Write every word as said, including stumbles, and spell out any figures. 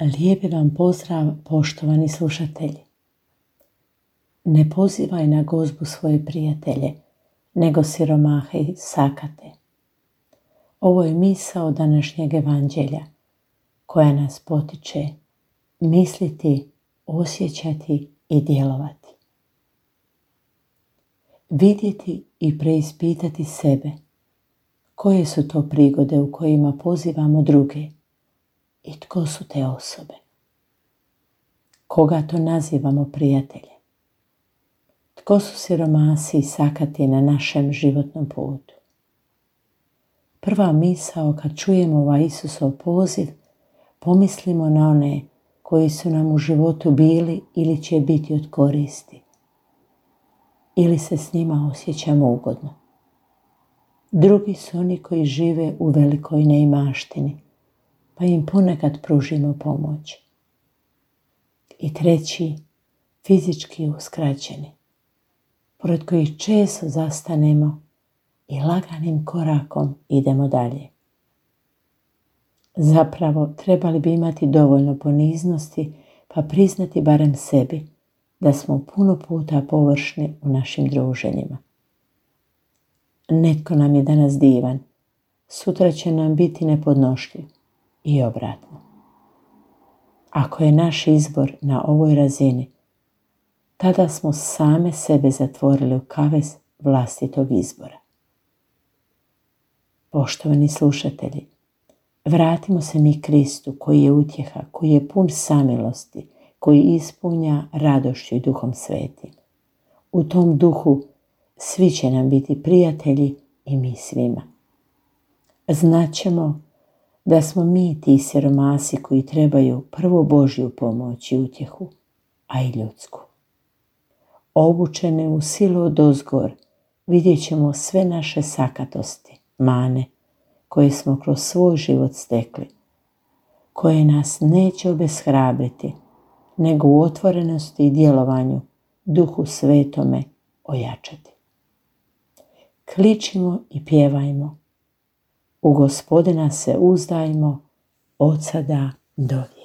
Lijepi vam pozdrav, poštovani slušatelji. Ne pozivaj na gozbu svoje prijatelje, nego siromahe i sakate. Ovo je misao današnjeg evanđelja koja nas potiče misliti, osjećati i djelovati. Vidjeti i preispitati sebe. Koje su to prigode u kojima pozivamo druge i tko su te osobe? Koga to nazivamo prijateljem? Tko su siromasi i sakati na našem životnom putu? Prva misao kad čujemo ovaj Isusov poziv, pomislimo na one koji su nam u životu bili ili će biti od koristi. Ili se s njima osjećamo ugodno. Drugi su oni koji žive u velikoj neimaštini, pa im ponekad pružimo pomoć. I treći, fizički uskraćeni, pored kojih često zastanemo i laganim korakom idemo dalje. Zapravo, trebali bi imati dovoljno poniznosti, pa priznati barem sebi da smo puno puta površni u našim druženjima. Netko nam je danas divan, sutra će nam biti nepodnošljiv i obratno. Ako je naš izbor na ovoj razini, tada smo same sebe zatvorili u kavez vlastitog izbora. Poštovani slušatelji, vratimo se mi Kristu koji je utjeha, koji je pun samilosti, koji ispunja radošću i Duhom Svetim. U tom duhu svi će nam biti prijatelji i mi svima. Znaćemo da smo mi ti siromasi koji trebaju prvo Božju pomoć i utjehu, a i ljudsku. Obučene u silu odozgor vidjet ćemo sve naše sakatosti, mane, koje smo kroz svoj život stekli, koje nas neće obeshrabriti, nego u otvorenosti i djelovanju Duhu Svetome ojačati. Kličimo i pjevajmo. U Gospodina se uzdajmo od sada do vijeka.